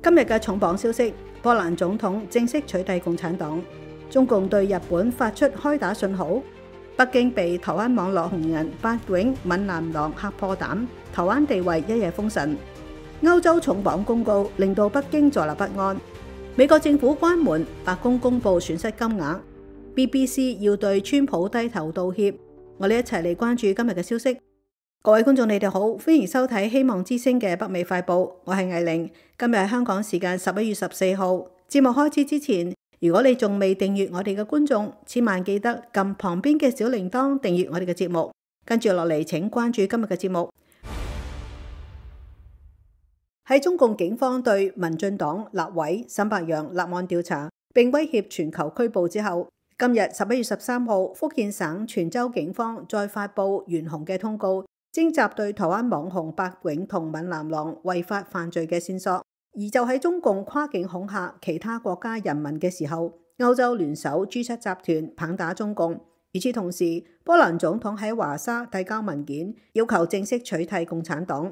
今日嘅重磅消息，波蘭總統正式取締共產黨，中共對日本發出開打信號，北京被台灣網絡紅人八囧閩南郎嚇破膽，台灣地位一夜封神。歐洲重磅公告令到北京坐立不安，美國政府關門，白宮公布損失金額， BBC 要對川普低頭道歉。我哋一齊嚟關注今日嘅消息。各位觀眾，你哋好，歡迎收睇希望之聲嘅北美快報，我係藝玲。今日係香港時間11月14號。節目開始之前，如果你仲未訂閱我哋嘅觀眾，千萬記得撳旁邊嘅小鈴鐺訂閱我哋嘅節目。跟住落嚟，請關注今日嘅節目。喺中共警方對民進黨立委沈伯洋立案調查並威脅全球拘捕之後，今日11月13號，福建省泉州警方再發布懸紅嘅通告，徵集對台灣網紅八囧同閩南郎違法犯罪嘅線索。而就喺中共跨境恐嚇其他國家人民嘅時候，歐洲聯手 G7 集團棒打中共。與此同時，波蘭總統喺華沙遞交文件，要求正式取締共產黨。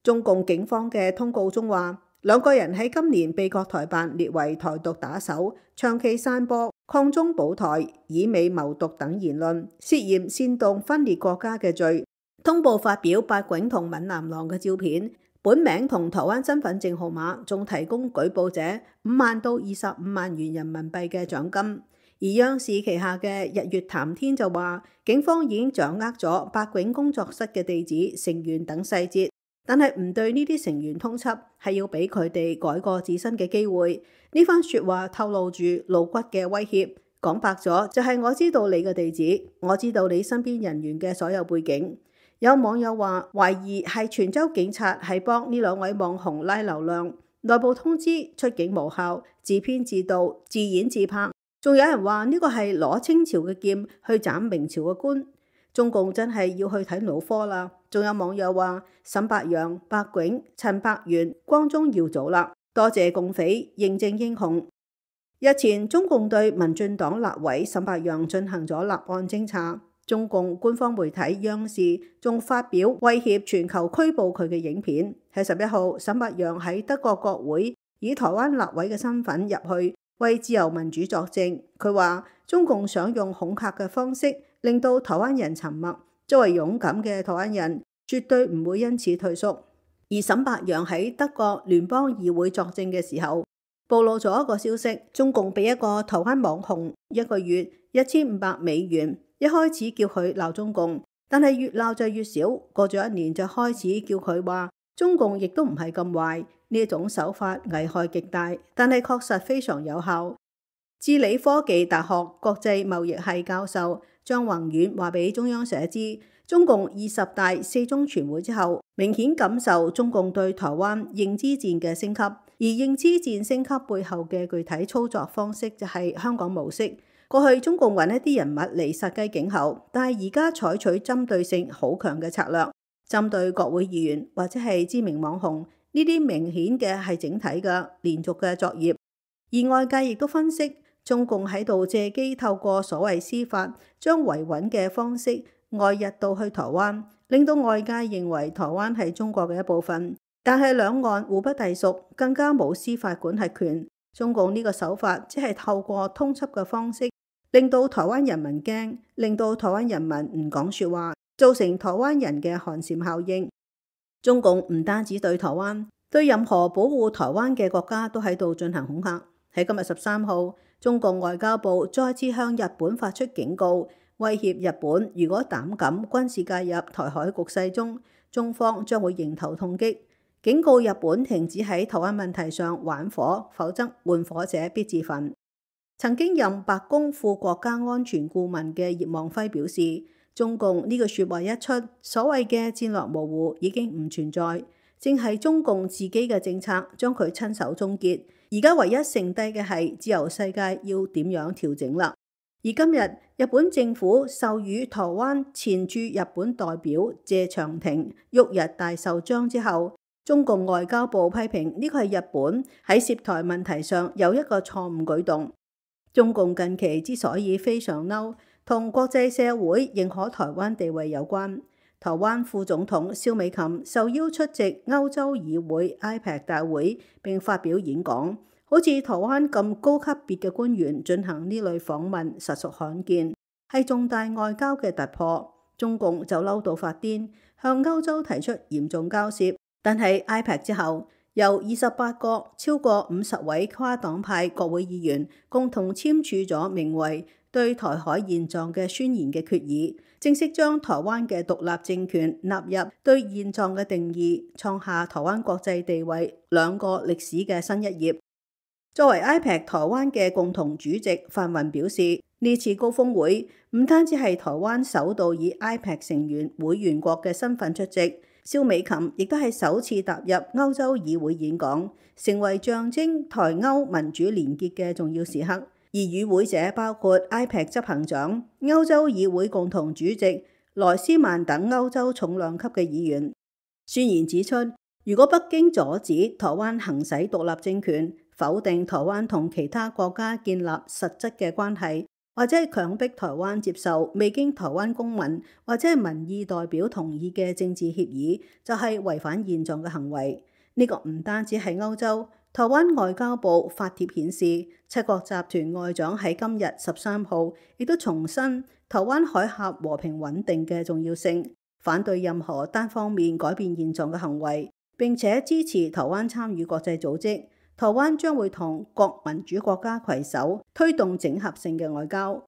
中共警方嘅通告中話，兩個人喺今年被國台辦列為台獨打手，長期散播抗中保台、以美謀獨等言論，涉嫌煽動分裂國家嘅罪。通報發表八囧同閩南郎嘅照片，本名同台灣身份證號碼，仲提供舉報者5萬到25萬元人民幣嘅獎金。而央視旗下嘅日月談天就話，警方已經掌握咗八囧工作室嘅地址、成員等細節，但係唔對呢啲成員通緝，係要俾佢哋改過自新嘅機會。呢番說話透露住露骨嘅威脅，講白咗就係我知道你嘅地址，我知道你身邊人員嘅所有背景。有網友話懷疑係泉州警察係幫呢兩位網紅拉流量，內部通知出警無效，自編自導自演自拍。仲有人話呢個係攞清朝嘅劍去斬明朝嘅官，中共真係要去睇腦科啦。仲有網友話沈伯洋、八囧、陳柏元、光宗耀祖啦，多謝共匪認證英雄。日前中共對民進黨立委沈伯洋進行咗立案偵查。中共官方媒體央視仲發表威脅全球拘捕佢嘅影片。喺11號，沈伯洋喺德國國會以台灣立委嘅身份入去為自由民主作證。佢話中共想用恐嚇嘅方式令到台灣人沉默，作為勇敢嘅台灣人絕對唔會因此退縮。而沈伯洋喺德國聯邦議會作證嘅時候，暴露咗一個消息，中共俾一個台灣網紅一個月1500美元。一開始叫佢鬧中共，但係越鬧就越少。過咗1年就開始叫佢話中共亦都唔係咁壞。呢一種手法危害極大，但係確實非常有效。智理科技大學國際貿易系教授張宏遠話俾中央社知，中共20大4中全會之後，明顯感受中共對台灣認知戰嘅升級，而認知戰升級背後嘅具體操作方式就係香港模式。過去中共揾一啲人物嚟殺雞儆猴，但係而家採取針對性好強嘅策略，針對國會議員或者係知名網紅，呢啲明顯嘅係整體嘅連續嘅作業。而外界亦都分析，中共喺度借機透過所謂司法，將維穩嘅方式外溢到去台灣，令到外界認為台灣係中國嘅一部分。但係兩岸互不隸屬，更加冇司法管轄權。中共呢個手法只係透過通緝嘅方式，令到台灣人民驚，令到台灣人民唔講說話，造成台灣人嘅寒蟬效應。中共唔單止對台灣，對任何保護台灣嘅國家都喺度進行恐嚇。喺今日13號，中共外交部再次向日本發出警告，威脅日本如果膽敢軍事介入台海局勢中，中方將會迎頭痛擊。警告日本停止喺台灣問題上玩火，否則玩火者必自焚。曾經任白宮副國家安全顧問嘅葉望輝表示，中共呢個說話一出，所謂嘅戰略模糊已經唔存在，正係中共自己嘅政策將佢親手終結。而家唯一剩低嘅係自由世界要點樣調整啦。而今日日本政府授予台灣前駐日本代表謝長廷旭日大綬章之後，中共外交部批評呢個係日本喺涉台問題上有一個錯誤舉動。中共近期之所以非常嬲，同國際社會認可台灣地位有關。台台灣副總統蕭美琴受邀出席歐洲議會 IPEC 大會並發表演講。好似台灣咁高級別嘅官員進行呢類訪問，實屬罕見，係重大外交嘅突破。中共就嬲到發癲，向歐洲提出嚴重交涉。但係 IPEC 之後，由28個超過50位跨黨派國會議員共同簽署咗名為對台海現狀嘅宣言嘅決議，正式將台灣嘅獨立政權納入對現狀嘅定義，創下台灣國際地位兩個歷史嘅新一頁。作為 IPEC 台灣嘅共同主席，范雲表示，呢次高峰會唔單止係台灣首度以 IPEC 成員會員國嘅身份出席，蕭美琴亦都係首次踏入歐洲議會演講，成為象徵台歐民主連結嘅重要時刻。而與會者包括 IPEC 執行長、歐洲議會共同主席萊斯曼等歐洲重量級嘅議員。宣言指出，如果北京阻止台灣行使獨立政權，否定台灣同其他國家建立實質嘅關係，或者係強迫台灣接受未經台灣公民或者係民意代表同意嘅政治協議，就係違反現狀嘅行為。呢個唔單止係歐洲，台灣外交部發帖顯示，7國集團外長喺今日13號亦都重申台灣海峽和平穩定嘅重要性，反對任何單方面改變現狀嘅行為，並且支持台灣參與國際組織。台灣將會同各民主國家攜手推動整合性嘅外交。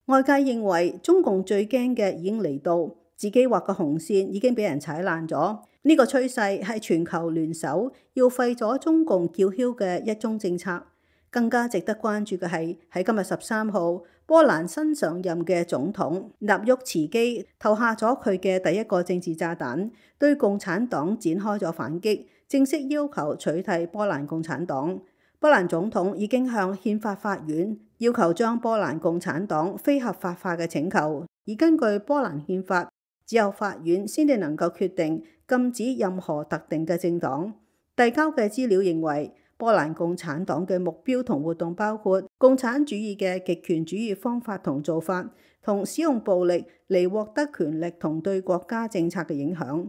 外界認為中共最驚嘅已經嚟到，自己畫嘅紅線已經俾人踩爛咗。呢個趨勢係全球聯手要廢咗中共叫囂嘅一中政策。更加值得關注嘅係喺今日13號，波蘭新上任嘅總統納沃茨基投下咗佢嘅第一個政治炸彈，對共產黨展開咗反擊，正式要求取締波蘭共產黨。波蘭總統已經向憲法法院要求將波蘭共產黨非合法化嘅請求，而根據波蘭憲法，只有法院先至能夠決定禁止任何特定嘅政黨。遞交嘅資料認為，波蘭共產黨嘅目標同活動包括共產主義嘅極權主義方法同做法，同使用暴力嚟獲得權力同對國家政策嘅影響。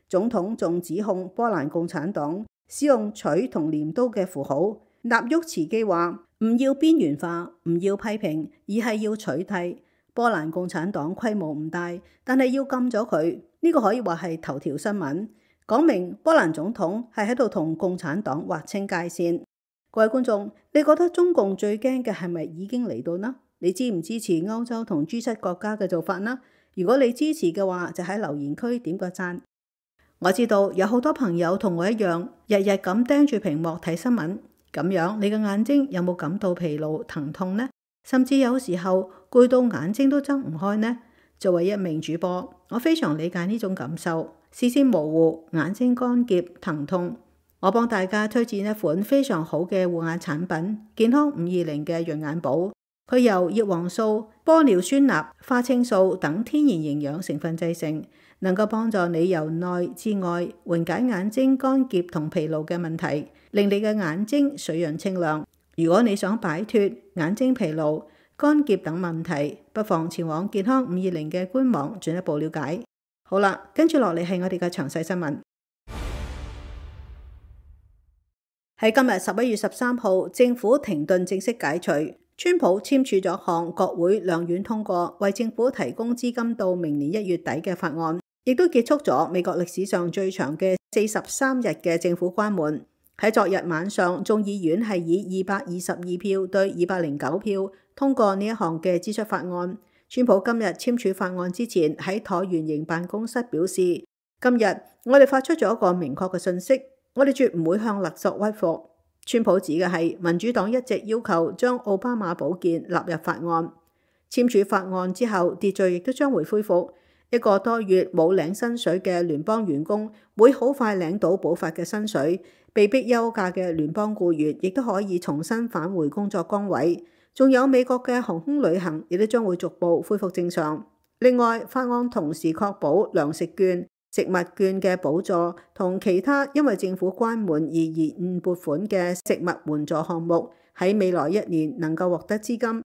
總統仲指控波蘭共產黨使用錘同鐮刀嘅符號。納沃茨基話唔要邊緣化，唔要批評，而係要取締。波蘭共產黨規模唔大，但係要禁咗佢，呢個可以話係頭條新聞，講明波蘭總統係喺度同共產黨劃清界線。各位觀眾，你覺得中共最驚嘅係咪已經嚟到呢？你支唔支持歐洲同 G7 國家嘅做法呢？如果你支持嘅話，就喺留言區點個讚。我知道有好多朋友同我一樣，日日咁盯住屏幕睇新聞，咁樣你嘅眼睛有冇感到疲勞、疼痛呢？甚至有時候攰到眼睛都睜唔開呢？作為一名主播，我非常理解呢種感受，視線模糊、眼睛乾澀、疼痛。我幫大家推薦一款非常好嘅護眼產品——健康520嘅潤眼寶。佢由葉黃素、玻尿酸鈉、花青素等天然營養成分製成，能夠幫助你由內至外緩解眼睛乾澀同疲勞嘅問題，令你嘅眼睛水潤清亮。如果你想擺脫眼睛疲勞、乾澀等問題，不妨前往健康520嘅官網進一步了解。好啦，跟住落嚟係我哋嘅詳細新聞。喺今日11月13號，政府停頓正式解除，川普簽署咗項國會兩院通過，為政府提供資金到明年1月底嘅法案，亦都結束咗美國歷史上最長嘅43日嘅政府關門。喺昨日晚上，眾議院係以222票對209票通過呢一項嘅支出法案。川普今日簽署法案之前，喺橢圓形辦公室表示：今日我哋發出咗一個明確嘅信息，我哋絕唔會向勒索屈服。川普指嘅係民主黨一直要求將奧巴馬保健納入法案。簽署法案之後，秩序亦都將會恢復。一個多月冇領薪水嘅聯邦員工會好快領到補發嘅薪水，被逼休假嘅聯邦僱員亦都可以重新返回工作崗位。仲有美國嘅航空旅行亦都將會逐步恢復正常。另外，法案同時確保糧食券、食物券嘅補助同其他因為政府關門而延誤撥款嘅食物援助項目喺未來1年能夠獲得資金。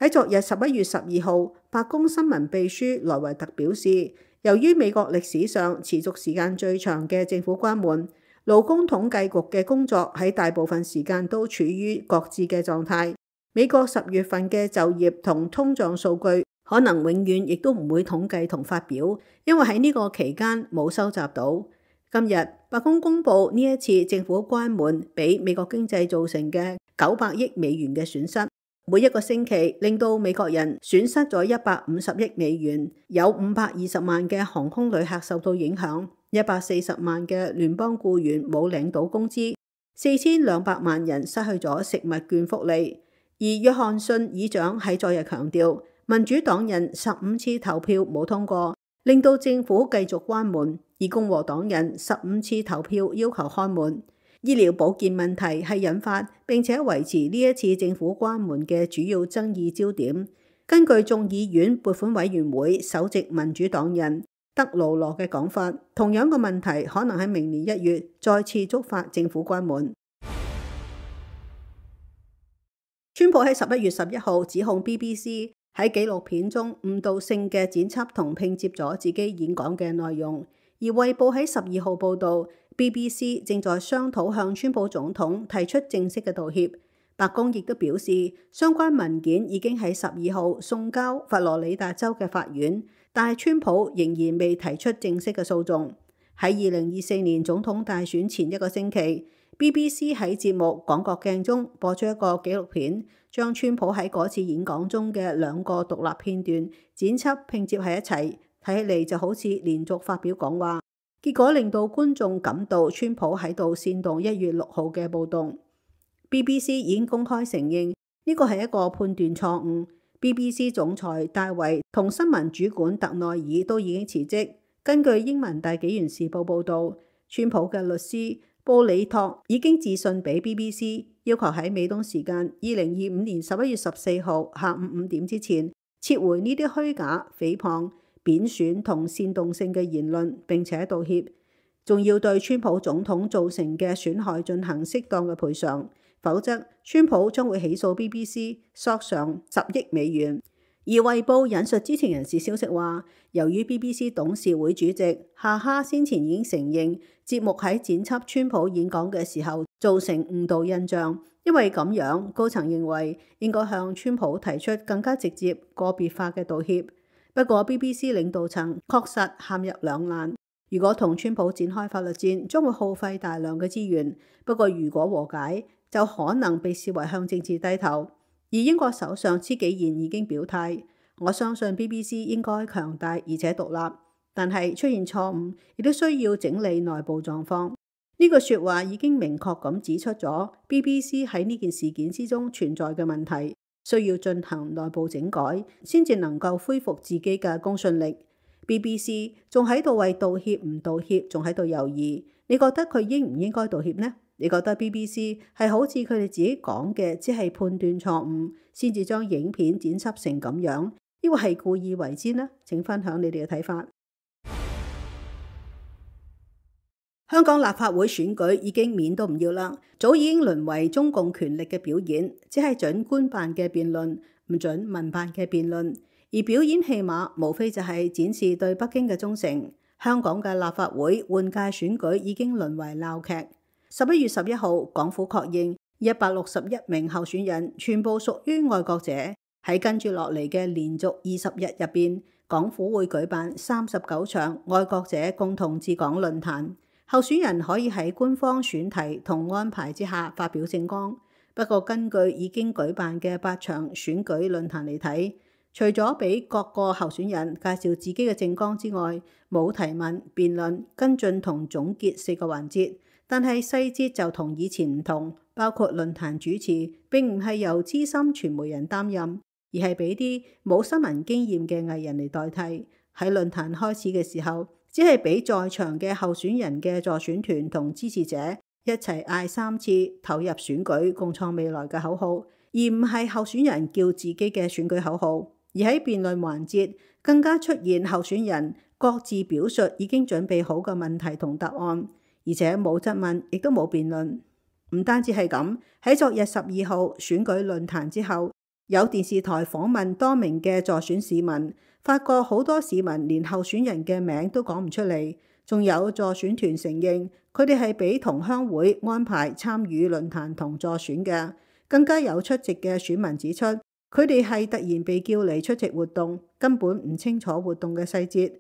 喺昨日11月12號，白宮新聞秘書萊維特表示，由於美國歷史上持續時間最長嘅政府關門，勞工統計局嘅工作喺大部分時間都處於擱置嘅狀態。美國10月份嘅就業同通脹數據可能永遠亦都唔會統計同發表，因為喺呢個期間冇收集到。今日白宮公布呢一次政府關門俾美國經濟造成嘅900億美元嘅損失，每一個星期令到美國人損失咗150億美元，有520萬嘅航空旅客受到影響，140萬嘅聯邦僱員冇領到工資，4200萬人失去咗食物券福利。而約翰遜議長喺昨日強調，民主黨人15次投票冇通過，令到政府繼續關門，而共和黨人15次投票要求開門。醫療保健問題係引發並且維持呢一次政府關門嘅主要爭議焦點。根據眾議院撥款委員會首席民主黨人德魯羅嘅講法，同樣嘅問題可能喺明年1月再次觸發政府關門。川普喺11月11號指控 BBC 喺紀錄片中誤導性嘅剪輯同拼接咗自己演講嘅內容，而衛報喺12號報導 BBC 正在商討向川普總統提出正式嘅道歉。白宮亦都表示，相關文件已經喺12號送交佛羅里達州嘅法院，但係川普仍然未提出正式嘅訴訟。喺2024年總統大選前一個星期，BBC 喺節目《廣角鏡》中播出一個紀錄片，將川普喺嗰次演講中嘅2個獨立片段剪輯拼接喺一齊，睇起嚟就好似連續發表講話，結果令到觀眾感到川普喺度煽動1月6號嘅暴動。BBC 已經公開承認呢個係一個判斷錯誤。BBC 總裁戴維同新聞主管特內爾都已經辭職。根據英文大紀元時報報導，川普嘅律師布里托已經致信俾 BBC， 要求喺美東時間2025年11月14號下午5點之前撤回呢啲虛假、誹謗、貶損同煽動性嘅言論，並且道歉，仲要對川普總統造成嘅損害進行適當嘅賠償，否則川普將會起訴 BBC 索償10億美元。而衛報引述知情人士消息話，由於 BBC 董事會主席夏哈先前已經承認節目喺剪輯川普演講嘅時候造成誤導印象，因為咁樣高層認為應該向川普提出更加直接個別化嘅道歉。不過 BBC 領導層確實陷入兩難，如果同川普展開法律戰將會耗費大量嘅資源，不過如果和解就可能被視為向政治低頭。而英國首相施紀賢已經表態，我相信 BBC 應該強大而且獨立，但係出現錯誤亦都需要整理內部狀況。呢句說話已經明確咁指出咗 BBC 喺呢件事件之中存在嘅問題，需要進行內部整改，先至能夠恢復自己嘅公信力。BBC 仲喺度為道歉唔道歉仲喺度猶豫，你覺得佢應唔應該道歉呢？你覺得 BBC 係好似佢哋自己講嘅，只係判斷錯誤，先至將影片剪輯成咁樣，抑或係故意為之呢？請分享你哋嘅睇法。香港立法會選舉已經面都唔要啦，早已經淪為中共權力嘅表演，只係準官辦嘅辯論，唔準民辦嘅辯論，而表演戲碼無非就係展示對北京嘅忠誠。香港嘅立法會換屆選舉已經淪為鬧劇。11月11號，港府確認161名候選人全部屬於愛國者。喺跟住落嚟嘅連續20日入邊，港府會舉辦39場愛國者共同治港論壇，候選人可以喺官方選題同安排之下發表政綱。不過根據已經舉辦嘅8場選舉論壇嚟睇，除咗俾各個候選人介紹自己嘅政綱之外，冇提問、辯論、跟進同總結4個環節。但係細節就同以前唔同，包括論壇主持並唔係由資深傳媒人擔任，而係俾啲冇新聞經驗嘅藝人嚟代替。喺論壇開始嘅時候，只係俾在場嘅候選人嘅助選團同支持者一齊嗌3次投入選舉共創未來嘅口號，而唔係候選人叫自己嘅選舉口號。而喺辯論環節更加出現候選人各自表述已經準備好嘅問題同答案。而且冇質問，亦都冇辯論。唔單止係咁，喺昨日12號選舉論壇之後，有電視台訪問多名嘅助選市民，發覺好多市民連候選人嘅名都講唔出嚟，仲有助選團承認佢哋係俾同鄉會安排參與論壇同助選嘅。更加有出席嘅選民指出，佢哋係突然被叫嚟出席活動，根本唔清楚活動嘅細節。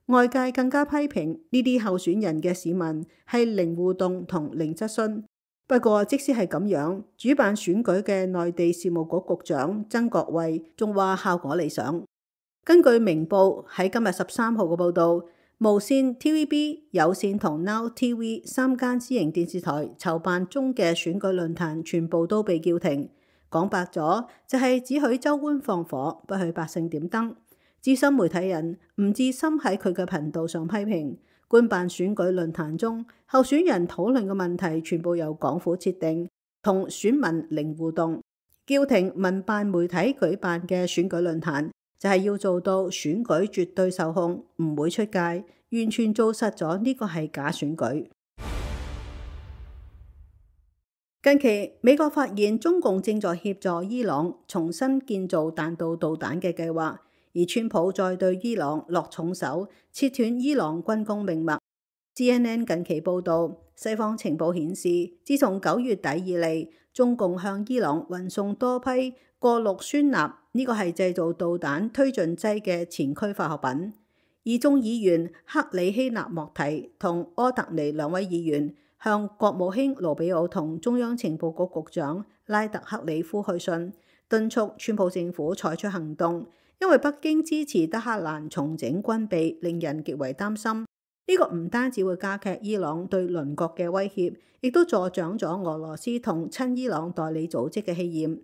外界更加批評呢啲候選人嘅市民係零互動同零質詢。不過即使係咁樣，主辦選舉嘅內地事務局局長曾國衛仲話效果理想。根據明報喺今日13號嘅報導，無線、TVB、有線同 Now TV 3間私營電視台籌辦中嘅選舉論壇全部都被叫停。講白咗就係只許州官放火，不許百姓點燈。資深媒體人吳志森喺佢嘅頻道上批評，官辦選舉論壇中候選人討論嘅問題全部由港府設定，同選民零互動。叫停民辦媒體舉辦嘅選舉論壇，就係要做到選舉絕對受控，唔會出界，完全做實咗呢個係假選舉。近期美國發現中共正在協助伊朗重新建造彈道導彈嘅計劃，而川普再對伊朗落重手，切斷伊朗軍工命脈。CNN 近期報導，西方情報顯示，自從9月底以嚟，中共向伊朗運送多批過氯酸鈉，呢個係製造導彈推進劑嘅前驅化學品。而眾議員克里希納莫提同柯特尼兩位議員向國務卿盧比奧同中央情報局局長拉特克里夫去信，敦促川普政府採取行動，因為北京支持德黑蘭重整軍備，令人極為擔心。呢個唔單止會加劇伊朗對鄰國嘅威脅，亦都助長咗俄羅斯同親伊朗代理組織嘅氣焰。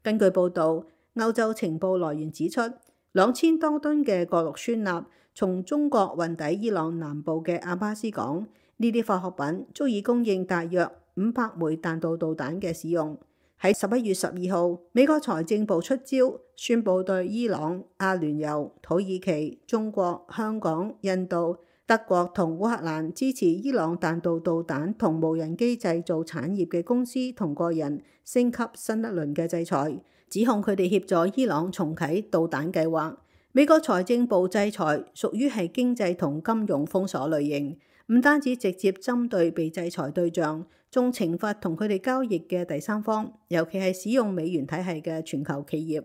根據報導，歐洲情報來源指出，2000多噸嘅過氯酸鈉從中國運抵伊朗南部嘅阿巴斯港，呢啲化學品足以供應大約500枚彈道導彈嘅使用。喺11月12號，美國財政部出招，宣布對伊朗、阿聯酋、土耳其、中國、香港、印度、德國同烏克蘭支持伊朗彈道導彈同無人機製造產業嘅公司同個人升級新一輪嘅制裁，指控佢哋協助伊朗重啟導彈計劃。美國財政部制裁屬於係經濟同金融封鎖類型，唔單止直接針對被制裁對象，仲懲罰同佢哋交易嘅第三方，尤其係使用美元體系嘅全球企業。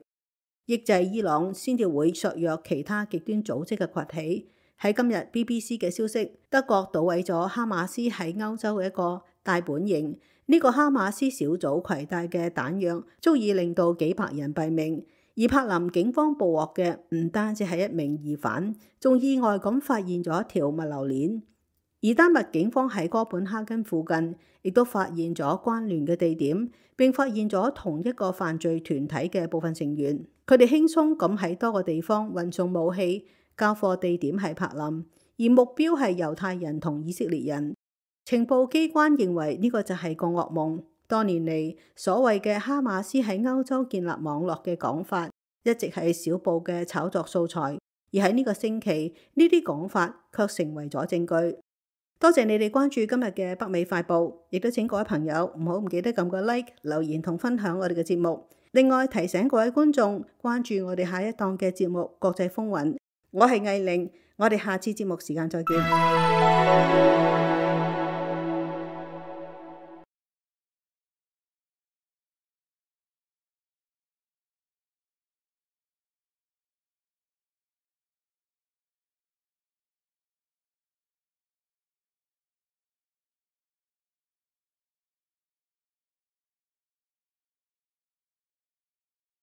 抑制伊朗先至會削弱其他極端組織嘅崛起。喺今日 BBC 嘅消息，德國搗毀咗哈馬斯喺歐洲嘅一個大本營。呢個哈馬斯小組攜帶嘅彈藥足以令到幾百人斃命。而柏林警方捕獲嘅唔單止係一名疑犯，仲意外咁發現咗一條物流鏈。而丹麥警方喺哥本哈根附近亦都發現咗關聯嘅地點，並發現咗同一個犯罪團體嘅部分成員。佢哋輕鬆咁喺多個地方運送武器，交貨地點係柏林，而目標係猶太人同以色列人。情報機關認為呢個就係個噩夢。多年嚟，所謂嘅哈馬斯喺歐洲建立網絡嘅講法，一直係小報嘅炒作素材。而喺呢個星期，呢啲講法卻成為咗證據。多謝你哋關注今日嘅北美快報，亦都請各位朋友唔記得撳個 like、留言同分享我哋嘅節目。另外提醒各位觀眾關注我哋下一檔嘅節目《國際風雲》。我係藝玲，我哋下次節目時間再見。